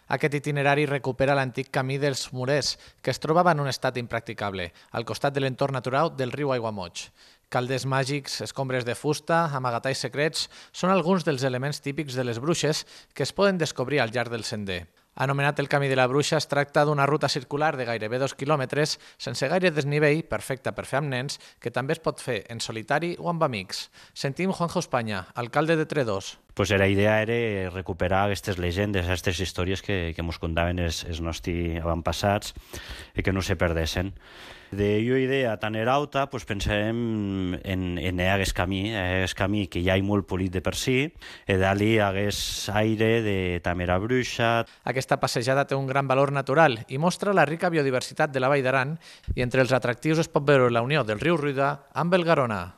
Aquest itinerari recupera l'antic camí dels Murers, que es trobava en un estat impracticable, al costat de l'entorn natural del riu Aiguamoig. Calders màgics, escombres de fusta, amagatalls secrets, són alguns dels elements típics de les bruixes que es poden descobrir al llarg del sender. Anomenat el Camí de la Bruixa, es tracta d'una ruta circular de gairebé 2 quilòmetres, sense gaire desnivell, perfecta per fer amb nens, que també es pot fer en solitari o amb amics. Sentim Juanjo España, alcalde de Tredòs. Pues la idea era recuperar aquestes llegendes, aquestes històries que ens contaven els nostres avantpassats i que no se perdessin. De jo idea tan erauta, pues pensem en aquest camí que ja hi molt polit de per si, i d'allí hagués aire de tamera bruixa. Aquesta passejada té un gran valor natural i mostra la rica biodiversitat de la Vall d'Aran i entre els atractius es pot veure la unió del riu Ruida amb el Garona.